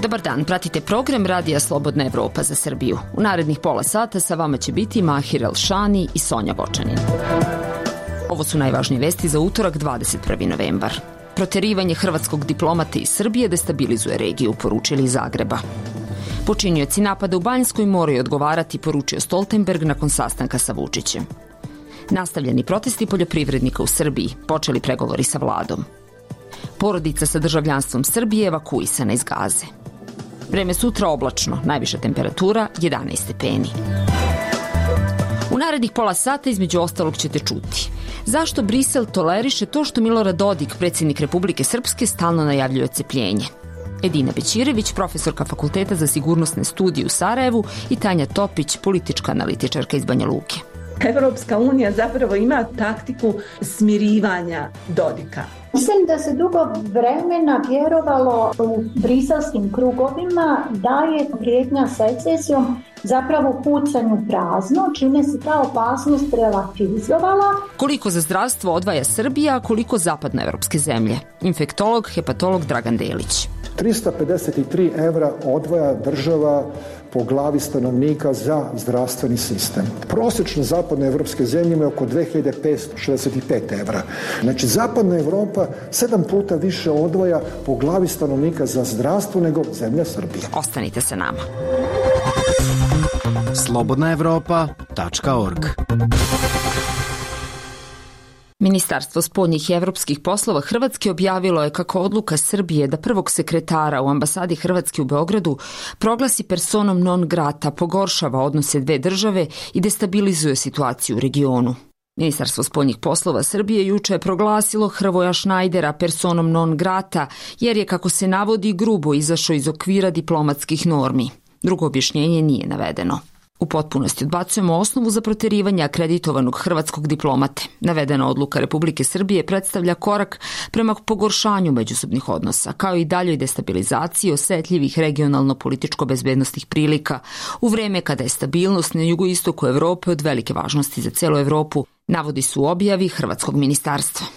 Dobar dan, pratite program Radija Slobodna Evropa za Srbiju. U narednih pola sata sa vama će biti Mahir Elšani i Sonja Vočanin. Ovo su najvažnije vesti za utorak 21. novembar. Proterivanje hrvatskog diplomata iz Srbije destabilizuje regiju, poručili iz Zagreba. Počinioci napada u Banjskoj moraju odgovarati, poručio Stoltenberg nakon sastanka sa Vučićem. Nastavljeni protesti poljoprivrednika u Srbiji, počeli pregovori sa vladom. Porodica sa državljanstvom Srbije evakuisana iz Gaze. Vreme sutra oblačno, najviša temperatura 11 stepeni. U narednih pola sata između ostalog ćete čuti zašto Brisel toleriše to što Milorad Dodik, predsjednik Republike Srpske, stalno najavljuje odcepljenje. Edina Bećirević, profesorka Fakulteta za sigurnosne studije u Sarajevu, i Tanja Topić, politička analitičarka iz Banja Luke. Evropska unija zapravo ima taktiku smirivanja Dodika. Mislim da se dugo vremena vjerovalo u briselskim krugovima da je prijetnja secesijom zapravo pucanju prazno, čime se ta opasnost relativizovala. Koliko za zdravstvo odvaja Srbija, a koliko zapadnoevropske zemlje? Infektolog, hepatolog Dragan Delić. 353 evra odvaja država po glavi stanovnika za zdravstveni sistem. Prosječno zapadne evropske zemlje imaju oko 2565 evra. Znači, zapadna Evropa 7 puta više odvaja po glavi stanovnika za zdravstvo nego zemlja Srbija. Ostanite sa nama. slobodnaevropa.org. Ministarstvo spoljnih i evropskih poslova Hrvatske objavilo je kako odluka Srbije da prvog sekretara u ambasadi Hrvatske u Beogradu proglasi personom non grata pogoršava odnose dve države i destabilizuje situaciju u regionu. Ministarstvo spoljnih poslova Srbije juče je proglasilo Hrvoja Šnajdera personom non grata jer je, kako se navodi, grubo izašao iz okvira diplomatskih normi. Drugo objašnjenje nije navedeno. U potpunosti odbacujemo osnovu za proterivanje akreditovanog hrvatskog diplomate. Navedena odluka Republike Srbije predstavlja korak prema pogoršanju međusobnih odnosa, kao i daljoj destabilizaciji osetljivih regionalno-političko-bezbednostnih prilika u vreme kada je stabilnost na jugoistoku Evrope od velike važnosti za celu Evropu, navodi su u objavi hrvatskog ministarstva.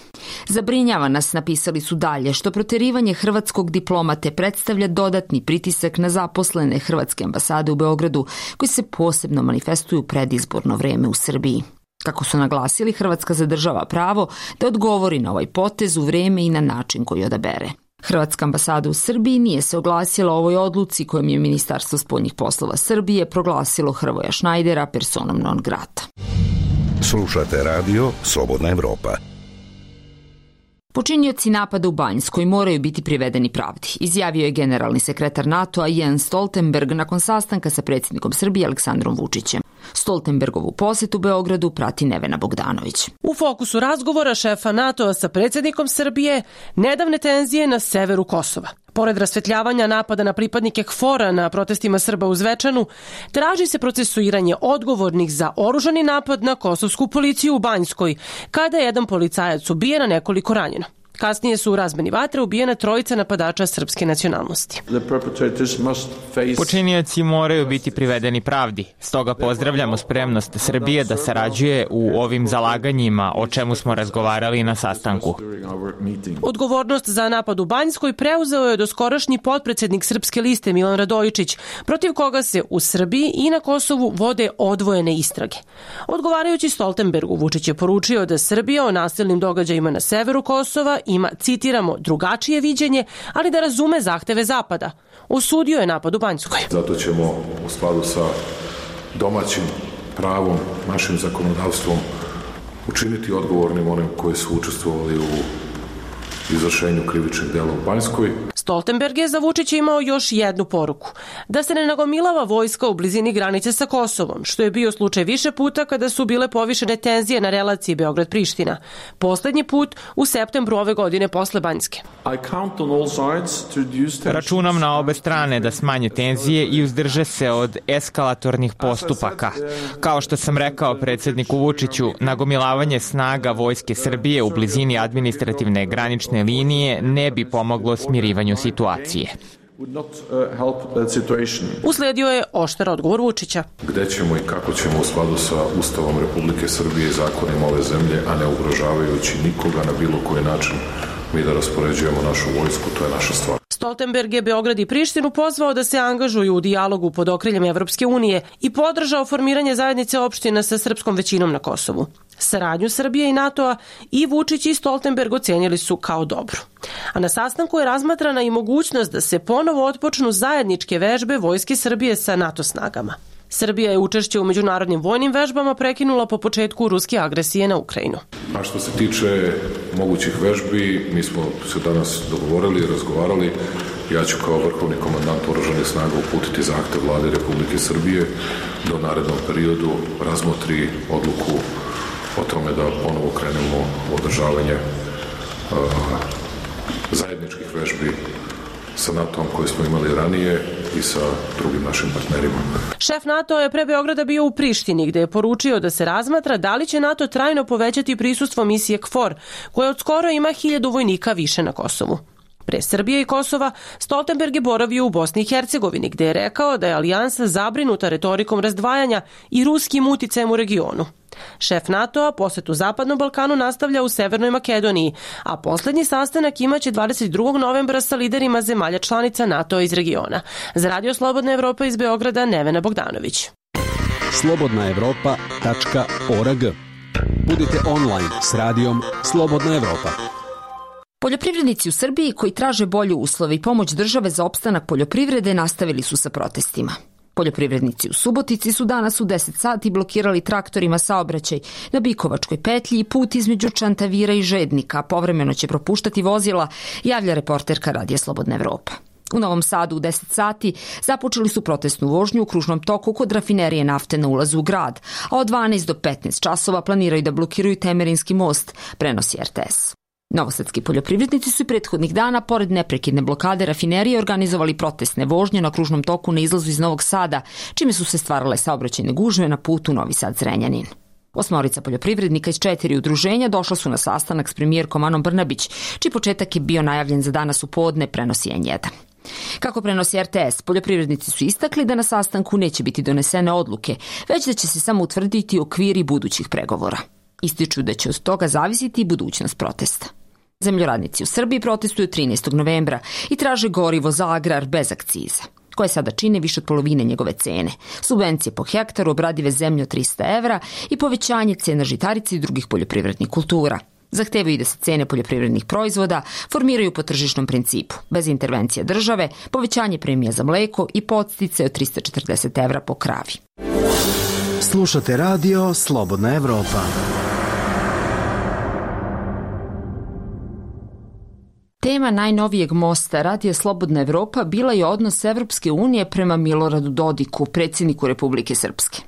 Zabrinjava nas, napisali su dalje, što proterivanje hrvatskog diplomate predstavlja dodatni pritisak na zaposlene hrvatske ambasade u Beogradu, koji se posebno manifestuju u predizborno vreme u Srbiji. Kako su naglasili, Hrvatska zadržava pravo da odgovori na ovaj potez u vreme i na način koji odabere. Hrvatska ambasada u Srbiji nije se oglasila o ovoj odluci kojom je Ministarstvo spoljnih poslova Srbije proglasilo Hrvoja Šnajdera personom non grata. Slušate radio Slobodna Evropa. Počinioci napada u Banjskoj moraju biti privedeni pravdi, izjavio je generalni sekretar NATO-a Jens Stoltenberg nakon sastanka sa predsjednikom Srbije Aleksandrom Vučićem. Stoltenbergovu posjetu Beogradu prati Nevena Bogdanović. U fokusu razgovora šefa NATO-a sa predsjednikom Srbije nedavne tenzije na severu Kosova. Pored rasvetljavanja napada na pripadnike KFOR-a na protestima Srba u Zvečanu, traži se procesuiranje odgovornih za oružani napad na kosovsku policiju u Banjskoj, kada je jedan policajac ubijen, a nekoliko ranjeno. Kasnije su u razmeni vatre ubijena trojica napadača srpske nacionalnosti. Počinioci moraju biti privedeni pravdi. Stoga pozdravljamo spremnost Srbije da sarađuje u ovim zalaganjima, o čemu smo razgovarali na sastanku. Odgovornost za napad u Banjskoj preuzeo je doskorašnji potpredsjednik Srpske liste Milan Radojičić, protiv koga se u Srbiji i na Kosovu vode odvojene istrage. Odgovarajući Stoltenbergu, Vučić je poručio da Srbija o nasilnim događajima na severu Kosova ima, citiramo, drugačije viđenje, ali da razume zahteve Zapada. Osudio je napad u Banjskoj. Zato ćemo u skladu sa domaćim pravom, našim zakonodavstvom, učiniti odgovornim onim koji su učestvovali u izvršenju krivičnih dela u Banjskoj. Stoltenberg je za Vučića imao još jednu poruku. Da se ne nagomilava vojska u blizini granice sa Kosovom, što je bio slučaj više puta kada su bile povišene tenzije na relaciji Beograd-Priština. Poslednji put u septembru ove godine posle Banjske. Računam na obe strane da smanje tenzije i uzdrže se od eskalatornih postupaka. Kao što sam rekao predsjedniku Vučiću, nagomilavanje snaga Vojske Srbije u blizini administrativne granične linije ne bi pomoglo smirivanju situacije. Usledio je oštar odgovor Vučića. Gde ćemo i kako ćemo u skladu sa Ustavom Republike Srbije i zakonima ove zemlje, a ne ugrožavajući nikoga na bilo koji način, mi da raspoređujemo našu vojsku, to je naša stvar. Stoltenberg je Beograd i Prištinu pozvao da se angažuju u dijalogu pod okriljem Evropske unije i podržao formiranje zajednice opština sa srpskom većinom na Kosovu. Saradnju Srbije i NATO-a i Vučić i Stoltenberg ocenili su kao dobru. A na sastanku je razmatrana i mogućnost da se ponovo otpočnu zajedničke vežbe Vojske Srbije sa NATO snagama. Srbija je učešće u međunarodnim vojnim vežbama prekinula po početku ruske agresije na Ukrajinu. A što se tiče mogućih vežbi, mi smo se danas dogovorili i razgovarali. Ja ću kao vrhovni komandant oružanih snaga uputiti zahtev Vlade Republike Srbije da u narednom periodu razmotri odluku o tome da ponovo krenemo u održavanje zajedničkih vežbi sa NATO-om koje smo imali ranije i sa drugim našim partnerima. Šef NATO je pre Beograda bio u Prištini, gde je poručio da se razmatra da li će NATO trajno povećati prisustvo misije KFOR, koja od skoro ima 1000 vojnika više na Kosovu. Pre Srbije i Kosova, Stoltenberg je boravio u Bosni i Hercegovini, gde je rekao da je alijansa zabrinuta retorikom razdvajanja i ruskim uticajem u regionu. Šef NATO-a posetu Zapadnom Balkanu nastavlja u Severnoj Makedoniji, a poslednji sastanak imaće 22. novembra sa liderima zemalja članica NATO-a iz regiona. Za Radio Slobodna Evropa iz Beograda, Nevena Bogdanović. slobodnaevropa.org. Budite online s radijom Slobodna Evropa. Poljoprivrednici u Srbiji koji traže bolje uslove i pomoć države za opstanak poljoprivrede nastavili su sa protestima. Poljoprivrednici u Subotici su danas u 10 sati blokirali traktorima saobraćaj na Bikovačkoj petlji i put između Čantavira i Žednika. Povremeno će propuštati vozila, javlja reporterka Radija Slobodna Evropa. U Novom Sadu u 10 sati započeli su protestnu vožnju u kružnom toku kod rafinerije nafte na ulazu u grad, a od 12 do 15 časova planiraju da blokiraju Temerinski most, prenosi RTS. Novosadski poljoprivrednici su i prethodnih dana, pored neprekidne blokade rafinerije, organizovali protestne vožnje na kružnom toku na izlazu iz Novog Sada, čime su se stvarale saobraćajne gužve na putu Novi Sad-Zrenjanin. 8 poljoprivrednika iz 4 udruženja došla su na sastanak s premijerkom Anom Brnabić, čiji početak je bio najavljen za danas u podne, prenosi N1. Kako prenosi RTS, poljoprivrednici su istakli da na sastanku neće biti donesene odluke, već da će se samo utvrditi okviri budućih pregovora. Ističu da će od toga zavisiti i budućnost protesta. Zemljoradnici u Srbiji protestuju 13. novembra i traže gorivo za agrar bez akciza, koje sada čine više od polovine njegove cene, subvencije po hektaru obradive zemlje od 300 evra i povećanje cena žitarica i drugih poljoprivrednih kultura. Zahtevaju da se cene poljoprivrednih proizvoda formiraju po tržišnom principu, bez intervencije države, povećanje premija za mleko i podstice od 340 evra po kravi. Slušate radio Slobodna Evropa. Tema najnovijeg mosta Radija Slobodna Evropa bila je odnos Evropske unije prema Miloradu Dodiku, predsjedniku Republike Srpske.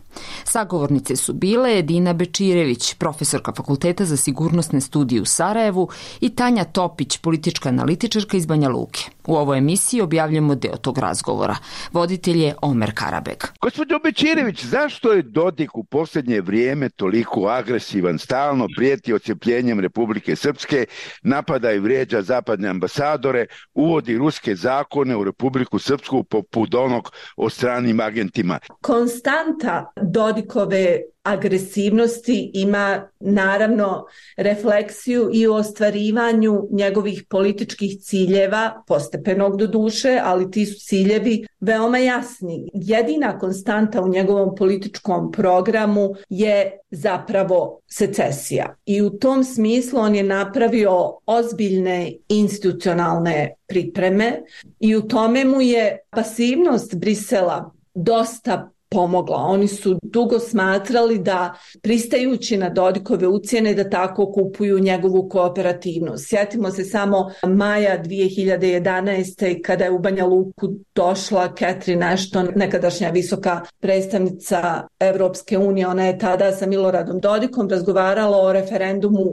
Sagovornice su bile Edina Bečirević, profesorka Fakulteta za sigurnosne studije u Sarajevu, i Tanja Topić, politička analitičarka iz Banja Luke. U ovoj emisiji objavljamo deo tog razgovora. Voditelj je Omer Karabeg. Gospođo Bečirević, zašto je Dodik u posljednje vrijeme toliko agresivan, stalno prijeti odcepljenjem Republike Srpske, napada i vrijeđa zapadne ambasadore, uvodi ruske zakone u Republiku Srpsku poput onog o stranim agentima? Konstanta Dodikove agresivnosti ima naravno refleksiju i u ostvarivanju njegovih političkih ciljeva, postepenog do duše, ali ti su ciljevi veoma jasni. Jedina konstanta u njegovom političkom programu je zapravo secesija. I u tom smislu on je napravio ozbiljne institucionalne pripreme i u tome mu je pasivnost Brisela dosta pomogla. Oni su dugo smatrali da, pristajući na Dodikove ucjene, da tako kupuju njegovu kooperativnost. Sjetimo se samo maja 2011. kada je u Banja Luku došla Catherine Ashton, nekadašnja visoka predstavnica Evropske unije. Ona je tada sa Miloradom Dodikom razgovarala o referendumu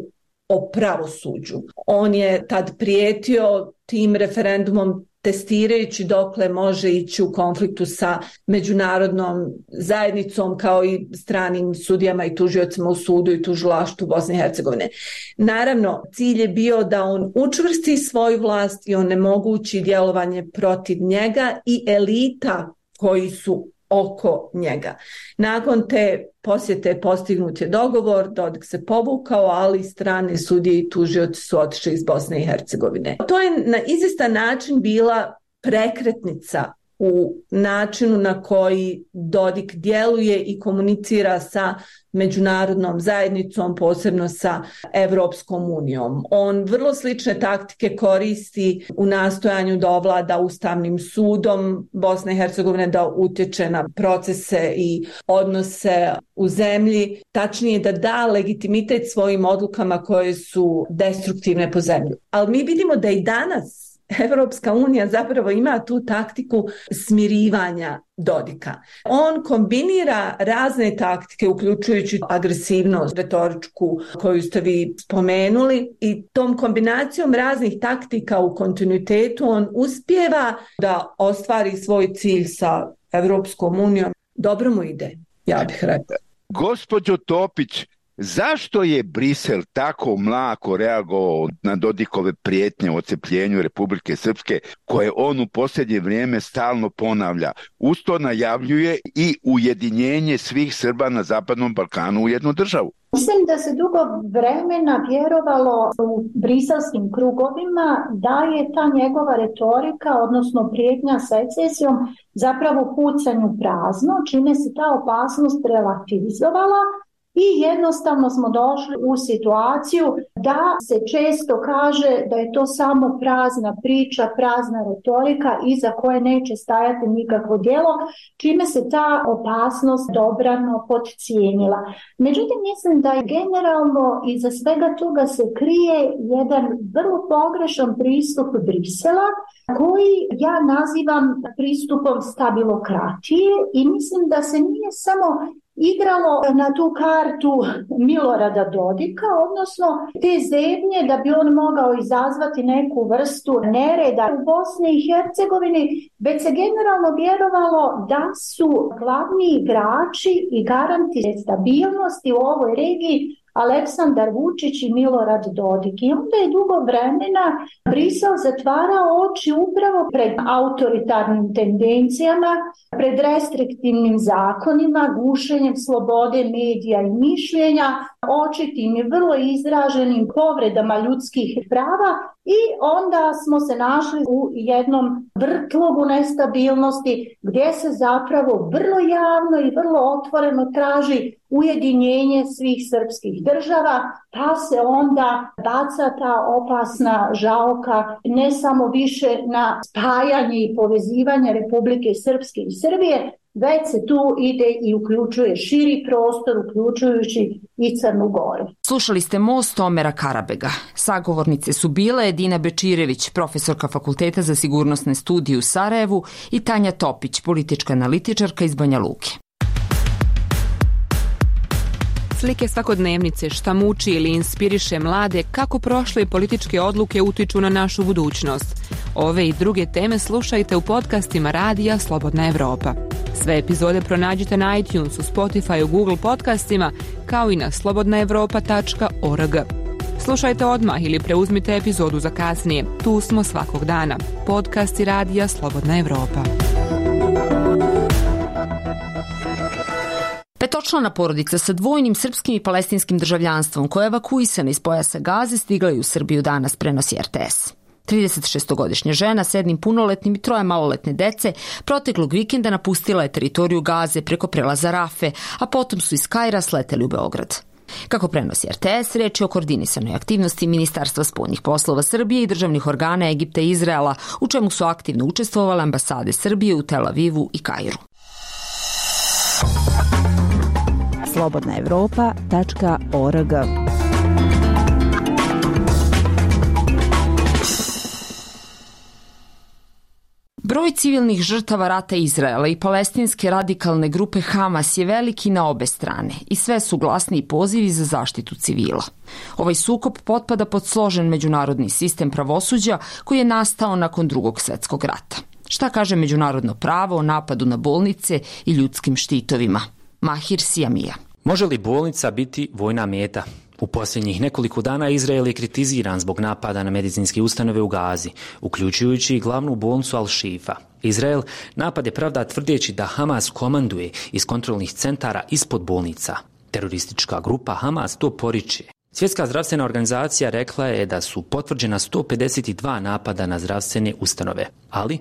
o pravosuđu. On je tad prijetio tim referendumom, testirajući dokle može ići u konfliktu sa međunarodnom zajednicom, kao i stranim sudijama i tužiocima u sudu i tužilaštvu Bosne i Hercegovine. Naravno, cilj je bio da on učvrsti svoju vlast i onemogući djelovanje protiv njega i elita koji su oko njega. Nakon te posjete postignut je dogovor, Dodik se povukao, ali strane sudije i tužioci su otišli iz Bosne i Hercegovine. To je na izvestan način bila prekretnica u načinu na koji Dodik djeluje i komunicira sa međunarodnom zajednicom, posebno sa Evropskom unijom. On vrlo slične taktike koristi u nastojanju da ovlada Ustavnim sudom Bosne i Hercegovine, da utječe na procese i odnose u zemlji, tačnije da da legitimitet svojim odlukama koje su destruktivne po zemlju. Ali mi vidimo da i danas Evropska unija zapravo ima tu taktiku smirivanja Dodika. On kombinira razne taktike, uključujući agresivnost retoričku koju ste vi spomenuli, i tom kombinacijom raznih taktika u kontinuitetu on uspijeva da ostvari svoj cilj sa Evropskom unijom. Dobro mu ide, ja bih rekla. Gospođo Topić, zašto je Brisel tako mlako reagovao na Dodikove prijetnje o odcepljenju Republike Srpske, koje on u posljednje vrijeme stalno ponavlja? Uz to najavljuje i ujedinjenje svih Srba na Zapadnom Balkanu u jednu državu. Mislim da se dugo vremena vjerovalo u briselskim krugovima da je ta njegova retorika, odnosno prijetnja secesijom, zapravo pucanju prazno, čime se ta opasnost relativizovala. I jednostavno smo došli u situaciju da se često kaže da je to samo prazna priča, prazna retorika iza koje neće stajati nikakvo djelo, čime se ta opasnost dobrano podcijenila. Međutim, mislim da je generalno iza svega toga se krije jedan vrlo pogrešan pristup Brisela, koji ja nazivam pristupom stabilokratije, i mislim da se nije samo igralo na tu kartu Milorada Dodika, odnosno te zebnje da bi on mogao izazvati neku vrstu nereda u Bosni i Hercegovini, već se generalno vjerovalo da su glavni igrači i garanti stabilnosti u ovoj regiji Aleksandar Vučić i Milorad Dodik. I onda je dugo vremena Brisel zatvarao oči upravo pred autoritarnim tendencijama, pred restriktivnim zakonima, gušenjem slobode medija i mišljenja, očitim i vrlo izraženim povredama ljudskih prava, i onda smo se našli u jednom vrtlogu nestabilnosti gdje se zapravo vrlo javno i vrlo otvoreno traži ujedinjenje svih srpskih država, pa se onda baca ta opasna žaoka ne samo više na spajanje i povezivanje Republike Srpske i Srbije, već se tu ide i uključuje širi prostor, uključujući i Crnu Goru. Slušali ste Most Omera Karabega. Sagovornice su bile Edina Bečirević, profesorka Fakulteta za sigurnosne studije u Sarajevu, i Tanja Topić, politička analitičarka iz Banja Luke. Slike svakodnevnice, šta muči ili inspiriše mlade, kako prošle političke odluke utiču na našu budućnost. Ove i druge teme slušajte u podcastima Radija Slobodna Evropa. Sve epizode pronađite na iTunesu, Spotify, Google podcastima, kao i na slobodnaevropa.org. Slušajte odmah ili preuzmite epizodu za kasnije. Tu smo svakog dana. Podcasti Radija Slobodna Evropa. Petočlana porodica sa dvojnim srpskim i palestinskim državljanstvom koja je evakuisana iz pojasa Gaze stigla je u Srbiju danas, prenosi RTS. 36-godišnja žena s jednim punoletnim i 3 maloletne dece proteklog vikenda napustila je teritoriju Gaze preko prelaza Rafe, a potom su iz Kaira sleteli u Beograd. Kako prenosi RTS, reč je o koordinisanoj aktivnosti Ministarstva spoljnih poslova Srbije i državnih organa Egipta i Izraela, u čemu su aktivno učestvovale ambasade Srbije u Tel Avivu i Kairu. slobodnaevropa.org. Broj civilnih žrtava rata Izraela i palestinske radikalne grupe Hamas je veliki na obe strane i sve su glasni pozivi za zaštitu civila. Ovaj sukob potpada pod složen međunarodni sistem pravosuđa koji je nastao nakon Drugog svjetskog rata. Šta kaže međunarodno pravo o napadu na bolnice i ljudskim štitovima? Mahir Sijamija. Može li bolnica biti vojna meta? U posljednjih nekoliko dana Izrael je kritiziran zbog napada na medicinske ustanove u Gazi, uključujući i glavnu bolnicu Al-Shifa. Izrael napad je pravda tvrdeći da Hamas komanduje iz kontrolnih centara ispod bolnica. Teroristička grupa Hamas to poriče. Svjetska zdravstvena organizacija rekla je da su potvrđena 152 napada na zdravstvene ustanove, ali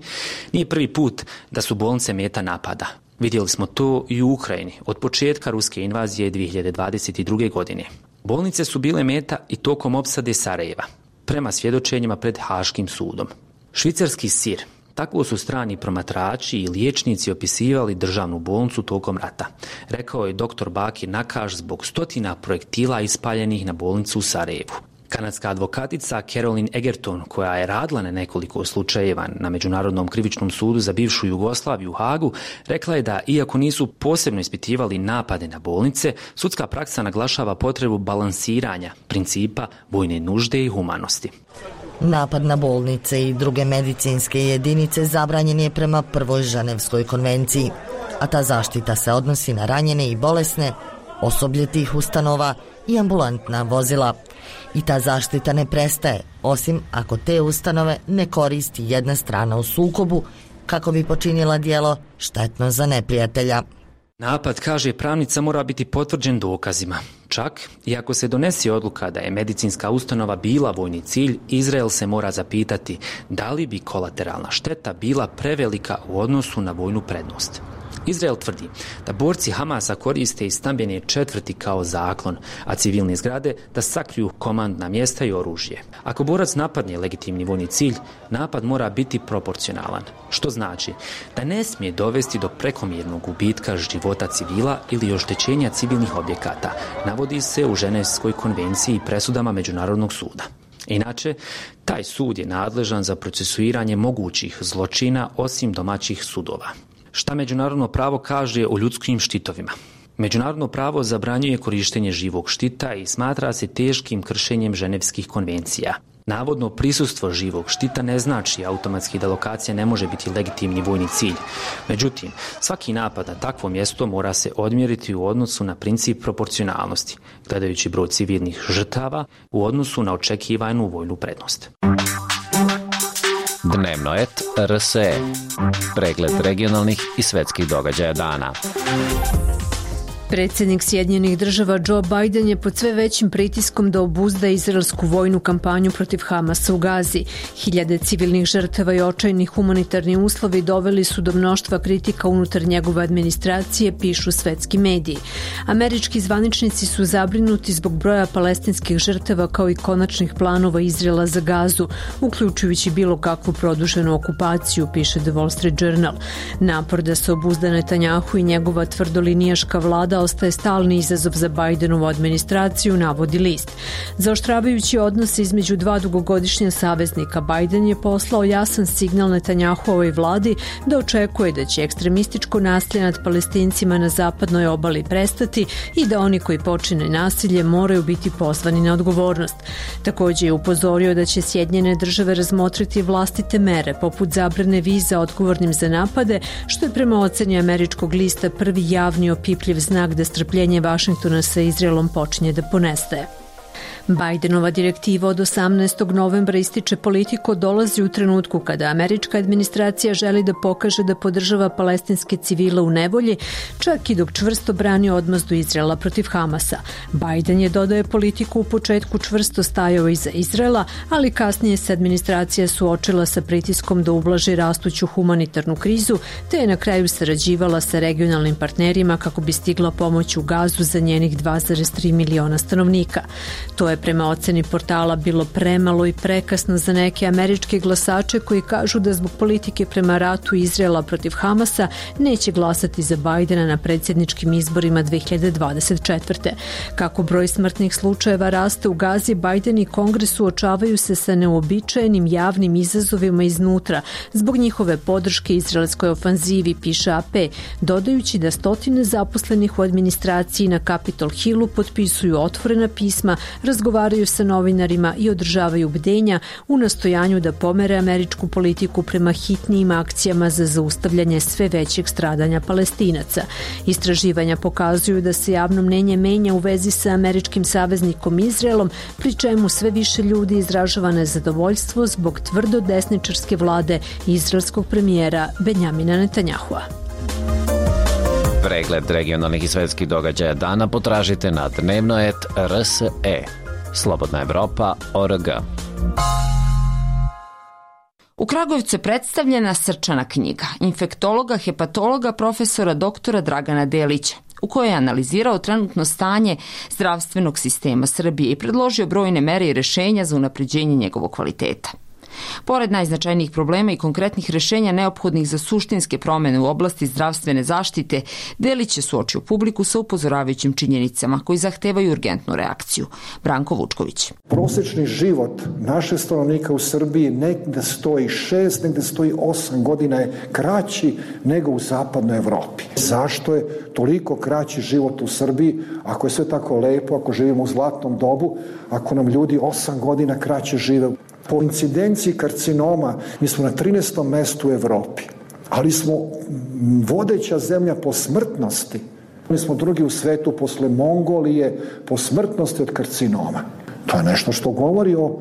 nije prvi put da su bolnice meta napada. Vidjeli smo to i u Ukrajini od početka ruske invazije 2022. godine. Bolnice su bile meta i tokom opsade Sarajeva, prema svjedočenjima pred Haškim sudom. Švicarski sir. Tako su strani promatrači i liječnici opisivali državnu bolnicu tokom rata, rekao je dr. Bakir Nakaš zbog stotina projektila ispaljenih na bolnicu u Sarajevu. Kanadska advokatica Caroline Egerton, koja je radila na nekoliko slučajeva na Međunarodnom krivičnom sudu za bivšu Jugoslaviju u Hagu, rekla je da, iako nisu posebno ispitivali napade na bolnice, sudska praksa naglašava potrebu balansiranja principa vojne nužde i humanosti. Napad na bolnice i druge medicinske jedinice zabranjen je prema prvoj Ženevskoj konvenciji, a ta zaštita se odnosi na ranjene i bolesne, osoblje tih ustanova i ambulantna vozila. I ta zaštita ne prestaje, osim ako te ustanove ne koristi jedna strana u sukobu kako bi počinila djelo štetno za neprijatelja. Napad, kaže pravnica, mora biti potvrđen dokazima. Čak i ako se donese odluka da je medicinska ustanova bila vojni cilj, Izrael se mora zapitati da li bi kolateralna šteta bila prevelika u odnosu na vojnu prednost. Izrael tvrdi da borci Hamasa koriste i stambene četvrti kao zaklon, a civilne zgrade da sakriju komandna mjesta i oružje. Ako borac napadne legitimni vojni cilj, napad mora biti proporcionalan, što znači da ne smije dovesti do prekomjernog gubitka života civila ili oštećenja civilnih objekata, navodi se u Ženevskoj konvenciji i presudama Međunarodnog suda. Inače, taj sud je nadležan za procesuiranje mogućih zločina osim domaćih sudova. Šta međunarodno pravo kaže o ljudskim štitovima? Međunarodno pravo zabranjuje korištenje živog štita i smatra se teškim kršenjem ženevskih konvencija. Navodno prisustvo živog štita ne znači automatski da lokacija ne može biti legitimni vojni cilj. Međutim, svaki napad na takvo mjesto mora se odmjeriti u odnosu na princip proporcionalnosti, gledajući broj civilnih žrtava u odnosu na očekivanu vojnu prednost. Dnevno et RSE. Pregled regionalnih i svetskih događaja dana. Predsjednik Sjedinjenih Država Joe Biden je pod sve većim pritiskom da obuzda izraelsku vojnu kampanju protiv Hamasa u Gazi. Hiljade civilnih žrtava i očajni humanitarni uslovi doveli su do mnoštva kritika unutar njegove administracije, pišu svetski mediji. Američki zvaničnici su zabrinuti zbog broja palestinskih žrtava kao i konačnih planova Izraela za Gazu, uključujući bilo kakvu produženu okupaciju, piše The Wall Street Journal. Napor da se obuzda Netanjahu i njegova tvrdolinijaška vlada ostaje stalni izazov za Bidenovu administraciju, navodi list. Zaoštravajući odnose između dva dugogodišnja saveznika, Biden je poslao jasan signal Netanjahuovoj vladi da očekuje da će ekstremističko nasilje nad Palestincima na zapadnoj obali prestati i da oni koji počine nasilje moraju biti pozvani na odgovornost. Također je upozorio da će Sjedinjene Države razmotriti vlastite mere, poput zabrane viza odgovornim za napade, što je prema oceni američkog lista prvi javni opipljiv znak da strpljenje Vašingtona sa Izraelom počinje da ponestaje. Bidenova direktiva od 18. novembra ističe politiku dolazi u trenutku kada američka administracija želi da pokaže da podržava palestinske civile u nevolji, čak i dok čvrsto brani odmazdu Izraela protiv Hamasa. Biden je, dodaje, politiku u početku čvrsto stajao iza Izraela, ali kasnije se administracija suočila sa pritiskom da ublaži rastuću humanitarnu krizu, te je na kraju sarađivala sa regionalnim partnerima kako bi stigla pomoć u Gazu za njenih 2,3 miliona stanovnika. To je prema oceni portala bilo premalo i prekasno za neke američke glasače koji kažu da zbog politike prema ratu Izraela protiv Hamasa neće glasati za Bidena na predsjedničkim izborima 2024. Kako broj smrtnih slučajeva raste u Gazi, Biden i Kongres suočavaju se sa neobičajenim javnim izazovima iznutra zbog njihove podrške izraelskoj ofanzivi, piše AP, dodajući da stotine zaposlenih u administraciji na Capitol Hillu potpisuju otvorena pisma razgovaraju razgovaraju sa novinarima i održavaju bdenja u nastojanju da pomere američku politiku prema hitnijim akcijama za zaustavljanje sve većeg stradanja Palestinaca. Istraživanja pokazuju da se javno mnenje menja u vezi sa američkim saveznikom Izraelom, pri čemu sve više ljudi izražava nezadovoljstvo zbog tvrdo desničarske vlade izraelskog premijera Benjamina Netanjahua. Pregled regionalnih i svetskih događaja dana potražite na dnevnoet.rse. Slobodna Evropa.org. U Kragujevcu je predstavljena srčana knjiga infektologa, hepatologa, profesora doktora Dragana Delića, u kojoj je analizirao trenutno stanje zdravstvenog sistema Srbije i predložio brojne mere i rešenja za unapređenje njegovog kvaliteta. Pored najznačajnijih problema i konkretnih rešenja neophodnih za suštinske promene u oblasti zdravstvene zaštite, Delić je suočio publiku sa upozoravajućim činjenicama koji zahtevaju urgentnu reakciju. Branko Vučković. Prosečni život naših stanovnika u Srbiji negde stoji 6, negde stoji 8 godina je kraći nego u zapadnoj Evropi. Zašto je toliko kraći život u Srbiji ako je sve tako lepo, ako živimo u zlatnom dobu, ako nam ljudi 8 godina kraće žive? Po incidenciji karcinoma mi smo na 13. mestu u Evropi, ali smo vodeća zemlja po smrtnosti. Mi smo drugi u svetu posle Mongolije po smrtnosti od karcinoma. To je nešto što govori o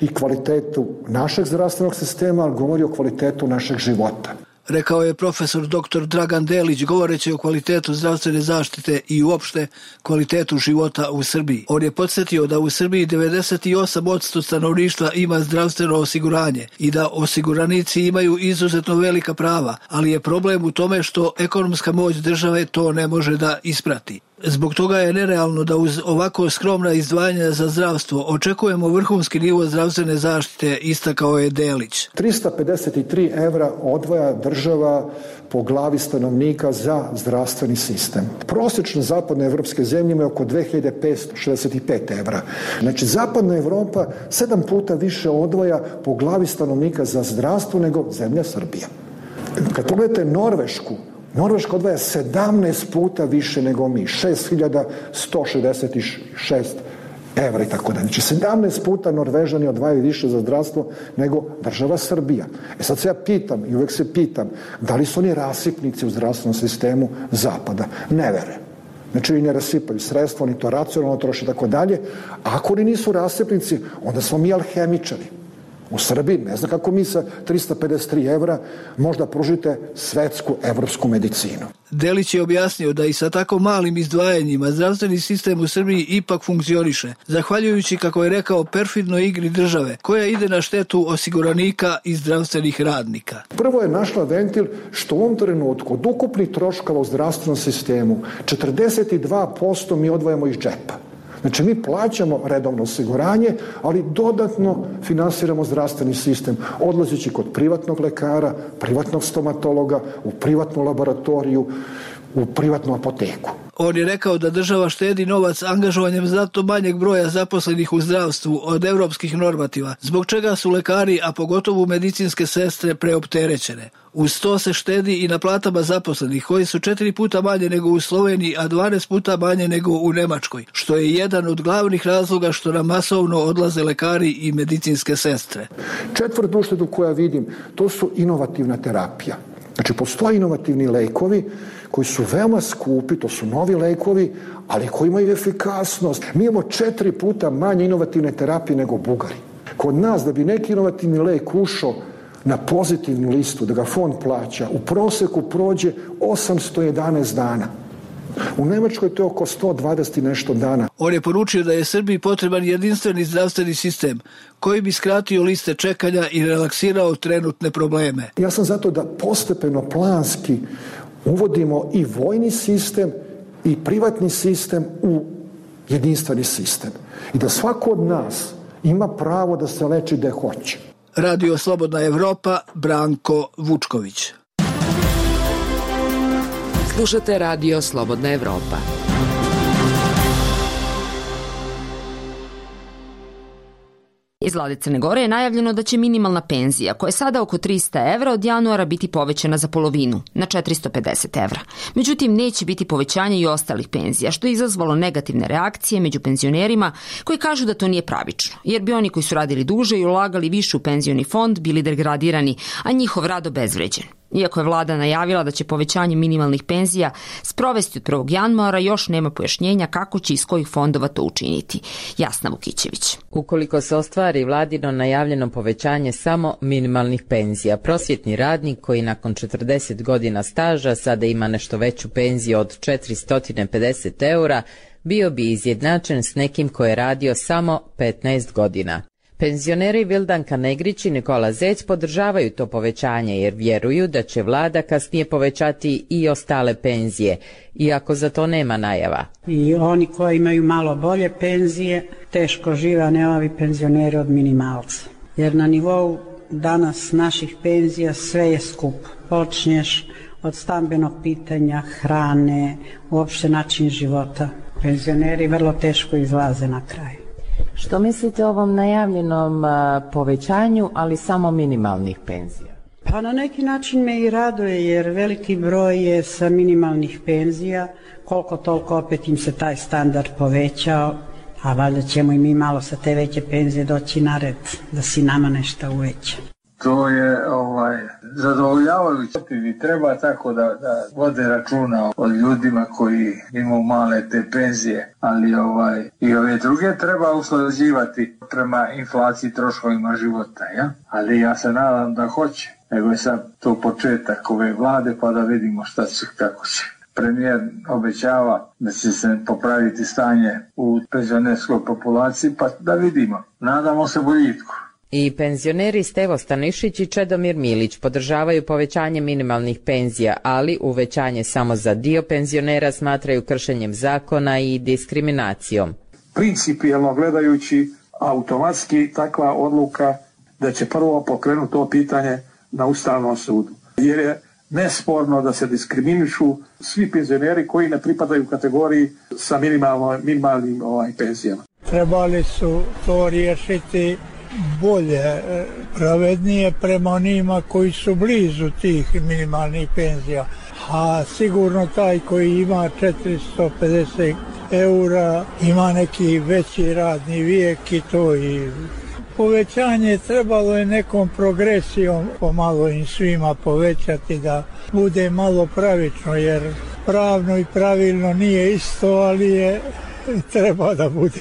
i kvalitetu našeg zdravstvenog sistema, ali govori o kvalitetu našeg života. Rekao je profesor dr. Dragan Delić govoreći o kvalitetu zdravstvene zaštite i uopšte kvalitetu života u Srbiji. On je podsjetio da u Srbiji 98% stanovništva ima zdravstveno osiguranje i da osiguranici imaju izuzetno velika prava, ali je problem u tome što ekonomska moć države to ne može da isprati. Zbog toga je nerealno da uz ovako skromna izdvajanja za zdravstvo očekujemo vrhunski nivo zdravstvene zaštite, istakao je Delić. 353 evra odvaja država po glavi stanovnika za zdravstveni sistem. Prosječno zapadne evropske zemlje imaju oko 2565 evra. Znači, zapadna Evropa 7 puta više odvaja po glavi stanovnika za zdravstvo nego zemlja Srbija. Kad pogledate Norvešku, Norveška odvaja 17 puta više nego mi, 6166 evra i tako da. Znači 17 puta Norvežani odvajaju više za zdravstvo nego država Srbija. Sad se ja pitam i uvek se pitam, da li su oni rasipnici u zdravstvenom sistemu zapada? Ne verujem. Znači oni ne rasipaju sredstvo, oni to racionalno troše i tako dalje. A ako oni nisu rasipnici, onda smo mi alhemičari. U Srbiji, ne znam kako mi sa 353 evra možda pružite svetsku evropsku medicinu. Delić je objasnio da i sa tako malim izdvajanjima zdravstveni sistem u Srbiji ipak funkcioniše, zahvaljujući, kako je rekao, perfidnoj igri države, koja ide na štetu osiguranika i zdravstvenih radnika. Prvo je našla ventil što u ovom trenutku od ukupnih troškova u zdravstvenom sistemu 42% mi odvajamo iz džepa. Znači, mi plaćamo redovno osiguranje, ali dodatno finansiramo zdravstveni sistem, odlazeći kod privatnog lekara, privatnog stomatologa, u privatnu laboratoriju, u privatnu apoteku. On je rekao da država štedi novac angažovanjem znatno manjeg broja zaposlenih u zdravstvu od evropskih normativa, zbog čega su lekari, a pogotovo medicinske sestre, preopterećene. Uz to se štedi i na platama zaposlenih, koji su 4 puta manje nego u Sloveniji, a 12 puta manje nego u Nemačkoj, što je jedan od glavnih razloga što nam masovno odlaze lekari i medicinske sestre. Četvrtu uštedu koja vidim, to su inovativna terapija. Znači, postoje inovativni lekovi koji su veoma skupi, to su novi lekovi, ali koji imaju efikasnost. Mi imamo 4 puta manje inovativne terapije nego Bugari. Kod nas, da bi neki inovativni lek ušao na pozitivnu listu, da ga fond plaća, u proseku prođe 811 dana. U Nemačkoj to je oko 120 i nešto dana. On je poručio da je Srbiji potreban jedinstveni zdravstveni sistem koji bi skratio liste čekanja i relaksirao trenutne probleme. Ja sam zato da postepeno, planski uvodimo i vojni sistem i privatni sistem u jedinstveni sistem. I da svako od nas ima pravo da se leči gde hoće. Radio Slobodna Evropa, Branko Vučković. Slušate Radio Slobodna Evropa. Iz vlade Crne Gore je najavljeno da će minimalna penzija, koja je sada oko 300 evra, od januara biti povećana za polovinu, na 450 evra. Međutim, neće biti povećanja i ostalih penzija, što je izazvalo negativne reakcije među penzionerima koji kažu da to nije pravično, jer bi oni koji su radili duže i ulagali više u penzioni fond bili degradirani, a njihov rad obezvređen. Iako je vlada najavila da će povećanje minimalnih penzija sprovesti od 1. januara, još nema pojašnjenja kako će iz kojih fondova to učiniti. Jasna Vukićević. Ukoliko se ostvari vladino najavljeno povećanje samo minimalnih penzija, prosvjetni radnik koji nakon 40 godina staža sada ima nešto veću penziju od 450 eura, bio bi izjednačen s nekim ko je radio samo 15 godina. Penzioneri Vildanka Negrić i Nikola Zec podržavaju to povećanje jer vjeruju da će vlada kasnije povećati i ostale penzije, iako za to nema najava. I oni koji imaju malo bolje penzije teško žive, a ne ovi penzioneri od minimalca. Jer na nivou danas naših penzija sve je skupo. Počnješ od stambenog pitanja, hrane, uopšte način života. Penzioneri vrlo teško izlaze na kraj. Što mislite o ovom najavljenom povećanju, ali samo minimalnih penzija? Pa na neki način me i raduje, jer veliki broj je sa minimalnih penzija, koliko toliko opet im se taj standard povećao, a valjda ćemo i mi malo sa te veće penzije doći na red, da si nama nešto uveća. To je zadovoljavajuće i treba tako da vode računa o ljudima koji imaju male te penzije, ali i ove druge treba usklađivati prema inflaciji troškovima života, ja? Ali ja se nadam da hoće, nego je sad to početak ove vlade pa da vidimo šta će, kako će. Premijer obećava da će se popraviti stanje u penzionerskoj populaciji, pa da vidimo, nadamo se boljitku. I penzioneri Stevo Stanišić i Čedomir Milić podržavaju povećanje minimalnih penzija, ali uvećanje samo za dio penzionera smatraju kršenjem zakona i diskriminacijom. Principijelno gledajući, automatski takva odluka da će prvo pokrenuti to pitanje na Ustavnom sudu. Jer je nesporno da se diskriminišu svi penzioneri koji ne pripadaju kategoriji sa minimalnim penzijama. Trebali su to riješiti bolje, pravednije prema onima koji su blizu tih minimalnih penzija. A sigurno taj koji ima 450 eura ima neki veći radni vijek i to i povećanje trebalo je nekom progresijom pomalo im svima povećati da bude malo pravično, jer pravno i pravilno nije isto, ali je treba da bude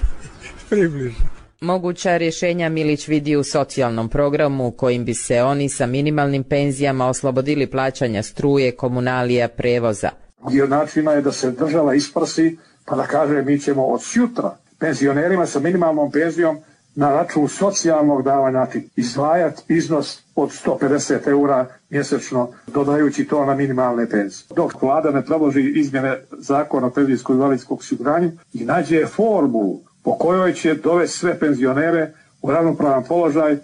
približno. Moguća rješenja Milić vidi u socijalnom programu kojim bi se oni sa minimalnim penzijama oslobodili plaćanja struje, komunalija, prevoza. Dio načina je da se država isprsi pa da kaže mi ćemo od sutra penzionerima sa minimalnom penzijom na račun socijalnog davanja izdvajati iznos od 150 eura mjesečno, dodajući to na minimalne penzije. Dok vlada ne predloži izmjene zakona o penzijskom i invalidskom osiguranju i nađe formulu po kojoj će dovesti sve penzionere u ravnopravan položaj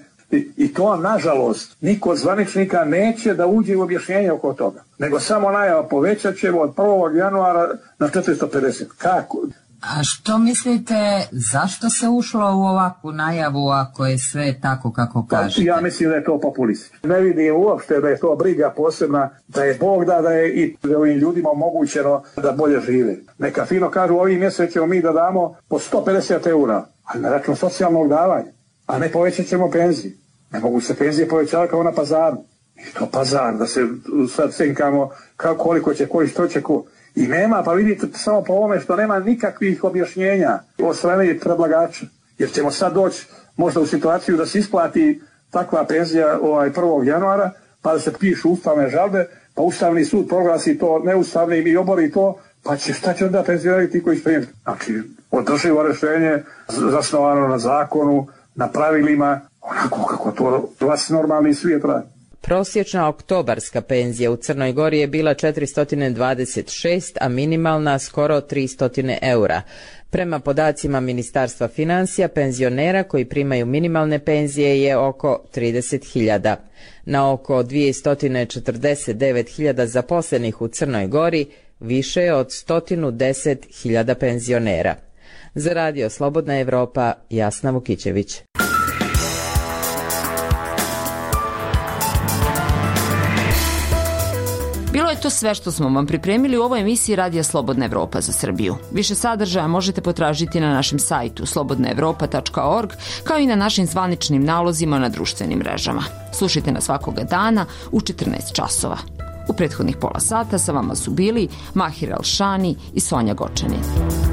i to, nažalost, niko od zvaničnika neće da uđe u objašnjenje oko toga, nego samo najava povećat ćemo od 1. januara na 450. Kako? A što mislite, zašto se ušlo u ovakvu najavu ako je sve tako kako kažete? Ja mislim da je to populistično. Ne vidim uopšte da je to briga posebna, da je Bog da je i ovim ljudima omogućeno da bolje žive. Neka fino kažu ovim mjesec ćemo mi da damo po 150 eura, ali na račun socijalnog davanja, a ne povećat ćemo penzije. Ne mogu se penzije povećavati kao na pazaru. I to pazar, da se sad cinkamo koliko će, koji što će ko. I nema, pa vidite samo po ovome što nema nikakvih objašnjenja od strane predlagača. Jer ćemo sad doći možda u situaciju da se isplati takva penzija 1. januara, pa da se pišu ustavne žalbe, pa Ustavni sud proglasi to neustavnim i obori to, pa šta će onda penzioneri ti koji spremiti? Znači, održivo rješenje zasnovano na zakonu, na pravilima, onako kako to vas normalni svijet radi. Prosječna oktobarska penzija u Crnoj Gori je bila 426, a minimalna skoro 300 eura. Prema podacima Ministarstva financija, penzionera koji primaju minimalne penzije je oko 30.000. Na oko 249.000 zaposlenih u Crnoj Gori više je od 110.000 penzionera. Za Radio Slobodna Evropa, Jasna Vukićević. To sve što smo vam pripremili u ovoj emisiji Radija Slobodna Evropa za Srbiju. Više sadržaja možete potražiti na našem sajtu slobodnaevropa.org, kao i na našim zvaničnim nalozima na društvenim mrežama. Slušajte nas svakoga dana u 14 časova. U prethodnih pola sata sa vama su bili Mahir Alšani i Sonja Gočanin.